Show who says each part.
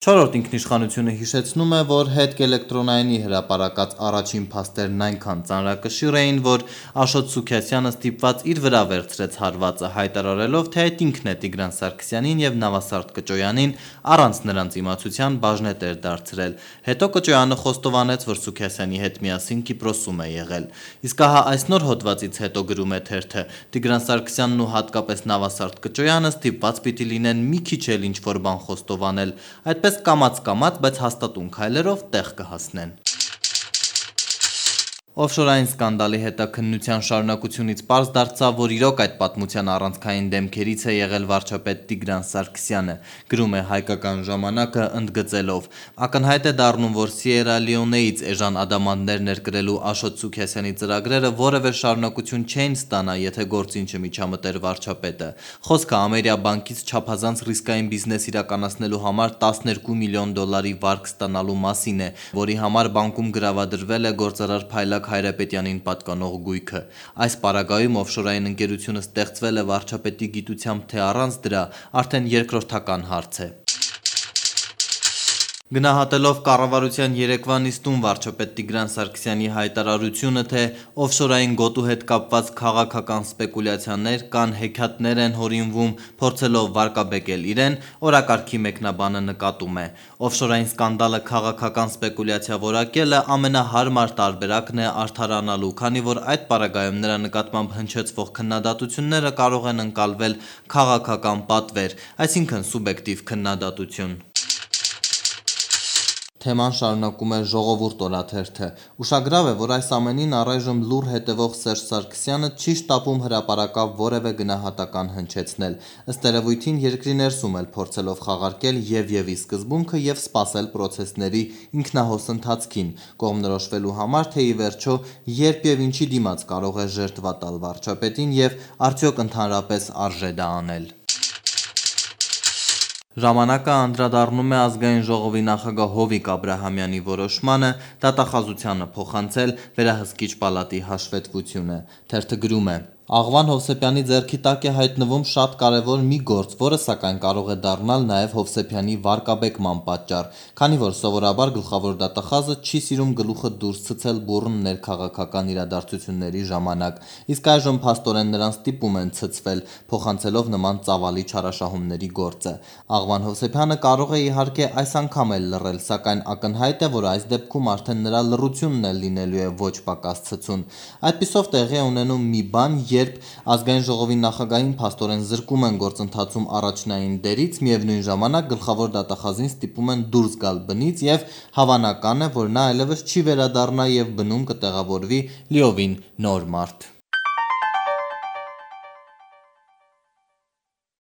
Speaker 1: Չորրորդ ինքնիշխանությունը հիշեցնում է, որ հետք-էլեկտրոնայինի հրապարակած առաջին փաստերն այնքան ծանրակշիռ էին, որ Աշոտ Սուքիասյանը ստիպված իր վրա վերցրեց հարվածը, հայտարարելով, թե այդ ինքն է Տիգրան Սարգսյանին և Նավասարդ Կճոյանին առանց նրանց իմացության բաժնետեր դարձրել։ Հետո Կճոյանը խոստովանեց, որ Սուքիասյանի հետ միասին Կիպրոսում է եղել։ Իսկ ահա այս նոր հոդվածից հետո գրում է թերթը. Տիգրան Սարգսյանն ու հատկապես Նավասարդ Կճոյանը ստիպված պիտի լինեն մի քիչ էլ ինչ-որ բան խոստովանել, այդպես կամաց-կամաց, բայց հաստատուն քայլերով տեղ կհասնեն։ Օֆշորային սկանդալի հետաքննության շարունակությունից պարզ դարձավ, որ իրոք այդ պատմության առանցքային դեմքերից է եղել վարչապետ Տիգրան Սարգսյանը, գրում է Հայկական ժամանակը ընդգծելով. ակնհայտ է դառնում, որ Սիերա Լեոնեից էժան ադամանդներ ներկրելու Աշոտ Սուքիասյանի ծրագրերը որևէ շարունակություն չէին ստանա, եթե գործին չմիջամտեր վարչապետը։ Խոսքը Ամերիա բանկից չափազանց ռիսկային բիզնես իրականացնելու համար 12 միլիոն դոլարի վարկ ստանալու մասին է, որի համար բանկում գրավադրվել է գործարար Փայլակ Հայրապետյանին պատկանող գույքը։ Այս պարագայում օֆշորային ընկերությունը ստեղծվել է վարչապետի գիտությամբ, թե առանց դրա, արդեն երկրորդական հարց է։ Գնահատելով կառավարության երեկվա նիստում վարչապետ Տիգրան Սարգսյանի հայտարարությունը, թե օֆշորային գոտու հետ կապված քաղաքական սպեկուլյացիաներ կան հեքիաթներ են հորինվում, փորձելով վարկաբեկել իրեն, օրակարգի մեկնաբանը նկատում է. օֆշորային սկանդալը քաղաքական սպեկուլյացիա որակելը ամենահարմար տարբերակն է արդարանալու, քանի որ այդ պարագայում նրա նկատմամբ հնչեցվող քննադատությունները կարող են ընկալվել քաղաքական պատվեր, այսինքն սուբյեկտիվ քննադատություն։ Թեման շարունակում է Ժողովուրդ օրաթերթը. ուշագրավ է, որ այս ամենին առայժմ լուռ հետևող Սերժ Սարգսյանը չի շտապում հրապարակավ որևէ գնահատական հնչեցնել, ըստ երևույթին երկրի ներսում էլ փորձելով խաղարկել և սկզբունքը և սպասել պրոցեսների ինքնահոս ընթացքին, կողմնորոշվելու համար, թե ի վերջո երբ և ինչի դիմաց կարող է ժերտվա տալ վարչապետին և արդյոք ընդհանրապես արժե դա անել։ Ժամանակը անդրադառնում է Ազգային ժողովի նախագահ Հովիկ Աբրահամյանի որոշմանը դատախազությանը փոխանցել վերահսկիչ պալատի հաշվետվությունը։ Թերթը գրում է. Աղվան Հովսեփյանի ձեռքի տակ է հայտնվում շատ կարևոր մի գործ, որը սակայն կարող է դառնալ նաև Հովսեփյանի վարկաբեկման պատճառ, քանի որ սովորաբար գլխավոր դատախազը չի սիրում գլուխը դուրս ցցել բուռն ներքաղաքական իրադարձությունների ժամանակ, իսկ այժմ փաստորեն նրան ստիպում են ցցվել, փոխանցելով նման ծավալի չարաշահումների գործը։ Աղվան Հովսեփյանը կարող է իհարկե այս անգամ էլ լռել, սակայն ակնհայտ է, որ այս դեպքում արդեն նրա լռությունն էլ լինելու է ոչ պակաս ցցուն։ Այդպիսով տեղի է ունենում մի բան, երբ Ազգային ժողովի նախագահին փաստորեն զրկում են գործընթացում առաջնային դերից, միևնույն ժամանակ գլխավոր դատախազին ստիպում են դուրս գալ բնից և հավանական է, որ նա այլևս չի վերադառնա և բնում կտեղավորվի լիովին նոր մարդ։